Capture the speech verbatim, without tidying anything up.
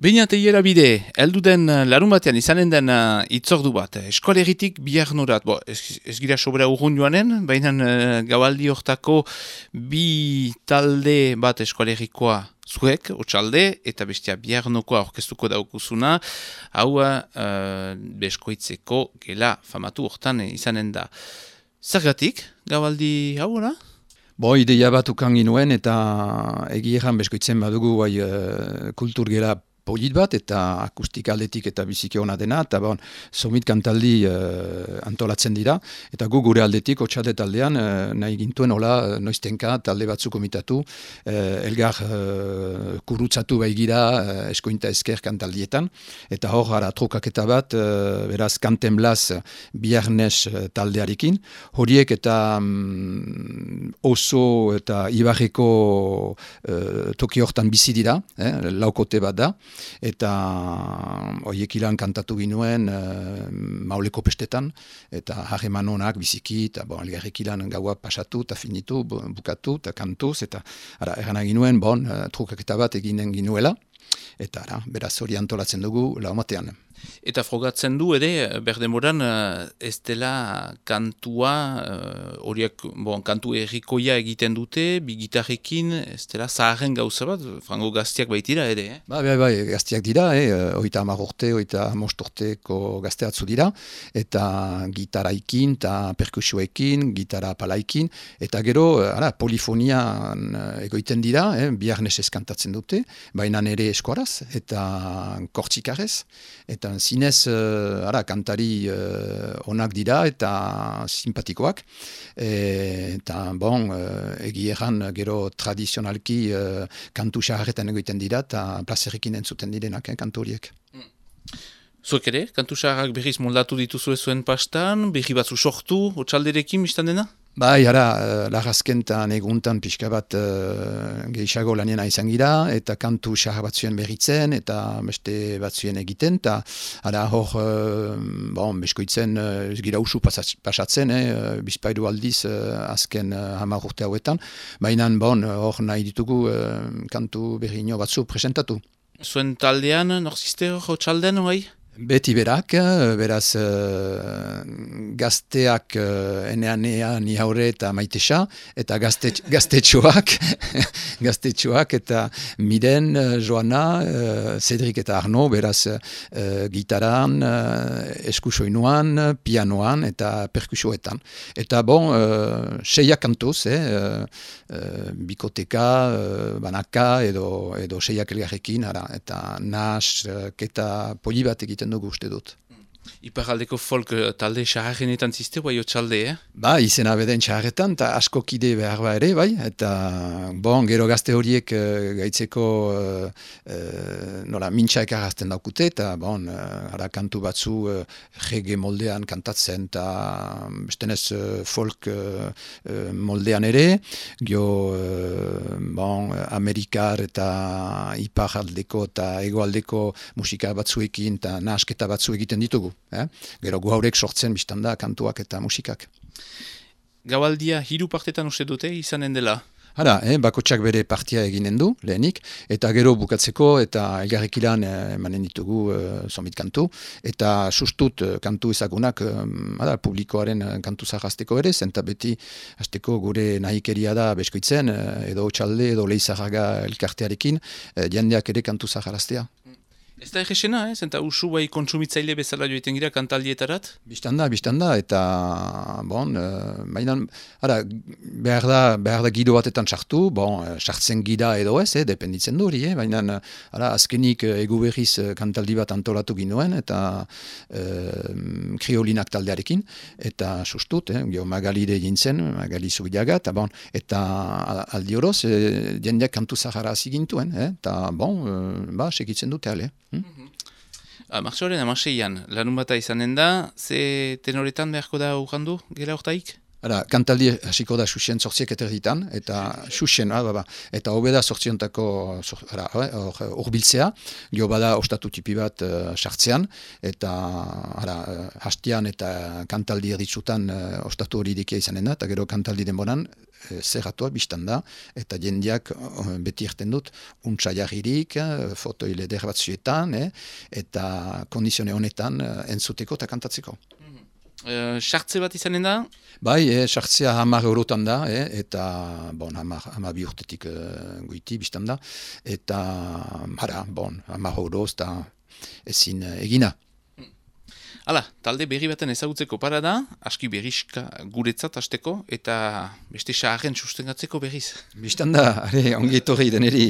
Beina teiera bide, heldu den larun batean izanen den uh, itzordu bat, eskolegitik bihar norat, bo, ez, ez gira sobera urrun joanen, baina uh, gaualdi hortako bi talde bat eskolegikoa zuek, otxalde, eta bestia bihar nokoa orkestuko daukuzuna, hau uh, beskoitzeko gela famatu hortan izanen da. Zergatik, gaualdi hau, ora? Bo, ideia bat ukan ginuen eta egieran beskoitzen badugu bai, uh, kultur gela polit bat eta akustika aldetik eta biziki ona dena, eta bon, somit kantaldi uh, antolatzen dira, eta gu gure aldetik, otxalde taldean, uh, nahi gintuen hola noiztenka talde batzuk komitatu, uh, elgar uh, kurutzatu baigira uh, eskointa esker kantaldietan, eta hor gara trokaketa bat, uh, beraz kanten blaz biharnes uh, taldearekin, horiek eta um, oso eta ibarreko uh, toki hortan bizi dira, eh, laukote bat da, eta horiek ilan kantatu ginuen uh, mauleko pestetan, eta harreman honak biziki, eta bon, elgarrek ilan gaua pasatu, eta finitu, bukatu, eta kantuz, eta ara, erana ginuen, bon, uh, trukaketa bat eginen ginuela, eta ara, beraz hori antolatzen dugu laumatean. Eta frogatzen du ere, berdemoran, ez dela kantua, horiek, bon, kantu errikoia egiten dute, bi gitarrekin, ez dela zaharren gauza bat, frango gaztiak baitira ere, eh? Ba, bai, bai, gaztiak dira, eh? oita hamar urte, oita most urteko gazteatzu dira, eta gitaraikin, eta perkusioekin, gitara palaikin, eta gero, ara, polifonian egoiten dira, eh? biharnesez kantatzen dute, baina ere eskoraz, eta kortxikarez, eta zinez, uh, ara, kantari uh, onak dira eta simpatikoak. E, eta, bon, uh, egieran gero tradizionalki uh, kantu xaharretan egoiten dira eta plazerrekin entzuten direnak, eh, kantu horiek. Mm. Zuek ere, kantu xaharrak berriz moldatu dituzue zuen pastan, berri batzu sortu, otxalderekin biztan dena? Bai, ara, lagazkentan eguntan pixka bat uh, gehiago lanena izan gira, eta kantu xahar batzuen berritzen, eta beste batzuen egiten, eta ara hor, uh, bon, beskoitzen uh, gira usu pasatzen, eh, bizpairu aldiz uh, azken uh, hamar urte hauetan, baina bon, hor nahi ditugu uh, kantu berriño batzu presentatu. Zuen taldean, norzizte hor txalden, hori? Beti berak, beraz uh, gazteak uh, enean ni haure eta maitesa, eta gazte, gaztetxoak, gaztetxoak eta Miren, uh, Joana, uh, Cedric eta Arno, beraz uh, gitaran, uh, eskusoinuan, pianoan eta perkusioetan. Eta bon, uh, seiak kantuz, eh, uh, uh, bikoteka, uh, banaka edo, edo seiak elgarrekin, ara, eta nas, uh, keta poli bat egiten dugu uste dut. Iparaldeko folk talde xaharrenetan ziste, bai otxalde, eh? Ba, izena beden xaharretan, eta asko kide behar ba ere, bai, eta bon, gero gazte horiek uh, gaitzeko uh, uh, nola, mintxa ekarazten daukute, eta bon, uh, ara kantu batzu uh, rege moldean kantatzen, eta bestenez uh, folk uh, uh, moldean ere, gio uh, bon, Amerikar eta iparaldeko eta egoaldeko musika batzuekin, eta nahasketa batzu egiten ditugu. Eh? Gero gu haurek sortzen biztan da kantuak eta musikak. Gaualdia hiru partetan uste dute izanen dela? Hala, eh, bakotsak bere partia eginen du, lehenik, eta gero bukatzeko eta elgarrek ilan emanen ditugu uh, somit kantu, eta sustut uh, kantu ezagunak um, hala, publikoaren uh, kantu zahazteko ere, zenta beti hasteko gure nahikeria da beskoitzen, uh, edo txalde, edo leizarraga elkartearekin, uh, jendeak ere kantu zaharaztea. Ez da egesena, eh? Zenta usu bai kontsumitzaile bezala joiten gira kantaldietarat? Bistanda, bistanda, eta bon, uh, mainan, ara, behar da, behar da gido batetan sartu, bon, sartzen gira edo ez, eh, dependitzen du hori, eh? Mainan, ara, azkenik egu berriz kantaldi bat antolatu ginoen, eta uh, kriolinak taldearekin, eta sustut, eh, gio Magalide jintzen, Magali Zubiaga, eta bon, eta aldi horoz, eh, jendeak kantu zahara zigintuen, eh? Eta bon, uh, ba, segitzen dute ale. Hmm? Mm-hmm. Martxoaren amaseian, lanun bata izanen da, ze tenoretan beharko da urrandu, gela hortaik? Ara, kantaldi hasiko da Xuxen zortziek eterditan, eta Xuxen, ah, ba, eta hobeda zortziontako urbiltzea, gio bada ostatu tipi bat uh, sartzean, eta ara, hastian eta kantaldi erditzutan uh, ostatu hori dikia izanen da, eta gero kantaldi denboran uh, zerratua biztan da, eta jendiak uh, beti erten dut, untsa jarririk, uh, fotoile der bat zuetan, eh, eta kondizione honetan uh, entzuteko eta kantatzeko. Sartze bat izanen da? Bai, eh, sartzea hamar eurotan da, eh, eta bon, hamar, hamar bi urtetik uh, goiti biztan da, eta hara, bon, hamar euroz eta ezin uh, egina. Hala, talde berri baten ezagutzeko para da, aski berrizka guretzat hasteko, eta beste saharren sustengatzeko berriz. Biztan da, are, ongi etorri deneri.